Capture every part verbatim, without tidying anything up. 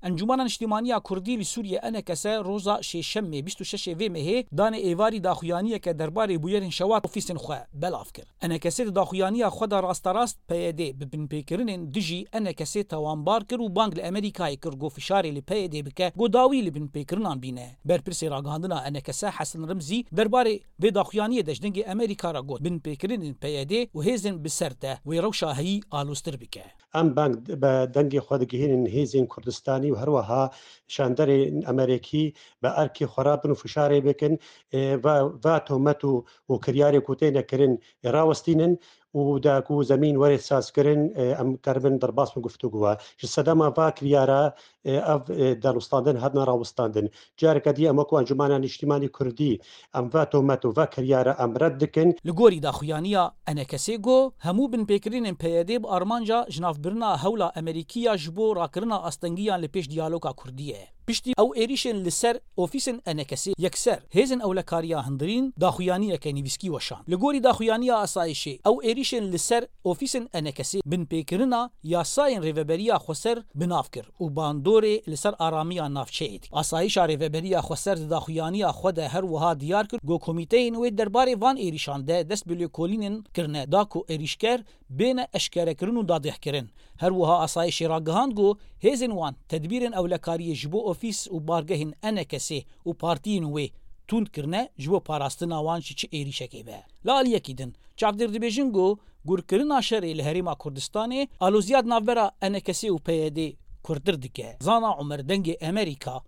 Encûmena Niştîmaniya Kurdî li Sûriyê, ENKS, roza Şêşemê bîst û şeş ê vê mehê danê êvarî daxuyaniyeke derbarê bûyerên şewat ofîsên xwe belav kir. ENKS di daxuyaniya xwe de rasterast PYD bi binpêkirinên dijî ENKSê tawanbar kir û bang li Amerîkayê kir ku fişarê li PYD bike ku dawî li binpêkirinan bîne. Berpirsê ragihandina ENKS Hesen Rimzî derbarê vê daxuyaniyê de ji dengê Amerîka re got, binpêkirinên PYD û hêzên bi ser de wê rewşa heyî aloztir bike. Em bang be dengê xwe digihînin hêzên Kurdistanî û her wiha şanderên Amerîkî bi erkê xwe rabin û fişarê bikin, e, va, va tohmet û, û kiryarê ku têne kirin, e, rawestînin û da ku zemîn were sazkirin, e, em keribin derbas bi guftûgowa. Ji sedema va kiryara, e, ev, e, danûstandin hatina rawestandin. Careke dî em wekû Encûmena Niştîmanî Kurdî, em va tohmet û va kiryara em red dikin. Li gorî daxuyaniya ENKSê got, hemû binpêkirinên PYD bi armanca jinavbirina hewla Amerîkî ya ji bo rakirina astengiyan li pêş diyaloga Kurdî ye. Piştî ew êrîşên li ser ofîsên ENKSê yekser hêzên ewlekariya hundirîn daxuyaniyeke nivîskî weşand. Li gorî daxuyaniya asayişê, ew êrîşên li ser ofîsên ENKSê binpêkirina yasayên Rêveberiya Xweser bi nav kir û bandorê li ser aramiya navçeyê dike. Asayişa Rêveberiya Xweser di daxuyaniya xwe de her wiha diyar kir ku komîteyên wê derbarê van êrîşan de dest bi lêkolînên kirine da ku êrîşker bêne eşkerekirin û dadgehkirin. Her wiha asayişê ragihand ku hêzên wan tedbîrên ewlekariyê ji bo ofîs û bargehên ENKSê û partiyên wê tund kirine ji bo parastina wan ji çi êrîşekê be. Li aliyekî din, çavdêr dibêjin ku gurkirina şerê li Herêma Kurdistanê aloziya di navbera ENKSê û PYDê kurtir dike. Zana Umer, Dengê Amerîka,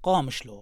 Qamişlo.